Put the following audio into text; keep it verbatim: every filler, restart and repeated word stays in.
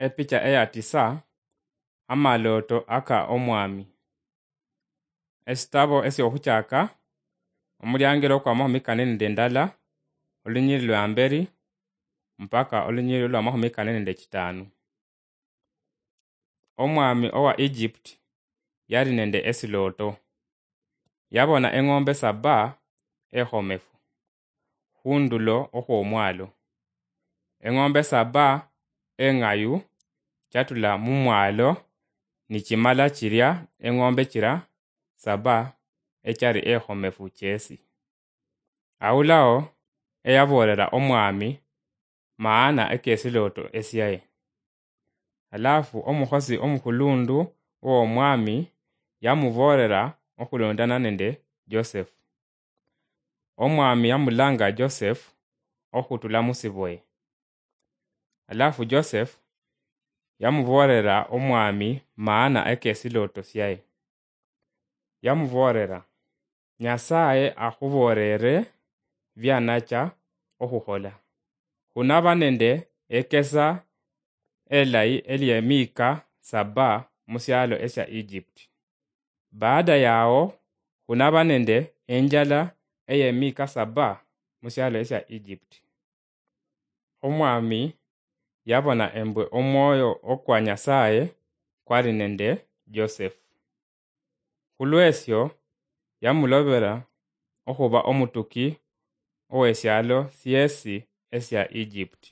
Epicha eya tisa, amalooto aka Omwaami. Esitabo esy'ohuchaaka, omuliangelo kw'amahumi kane nende ndala, olunyiriri lwa mberi, mpaka olunyiriri lw'amahumi kane nende chitaanu. Omwaami owa Egypt yali nende esilooto. Yabona eng'ombe saba ehomefu hu ndulo ohw'omwaalo. Eng'ombe saba eng'ayu chatula mu mwaalo nichimala chirya eng'ombe chira saba echari ehomefu chesi. Awulaho eyaboolera Omwaami maana ekesilooto esyae. Alafu omuhosi omuhuluundu w'Omwaami yamuboolera ohuluundana nende Joseph. Omwaami yamulaanga Joseph ohutula mu siboye. Alafu Joseph yamuboolera Omwaami maana ekesilooto syae. Yamuboolera, "Nyasaye ahuboolere byanacha ohuhola. Hunaba nende ekesa elayi ely'emiika saba mu syaalo esya Egypt. Baada yawo, hunaba nende enjala ey'emiika saba mu syaalo esya Egypt." Omwaami yabona embwe omwoyo okwa Nyasaye kwali nende Joseph. Hulw'esyo yamulobera ohuba omutuki ow'esyaalo syeesi esya Egypt.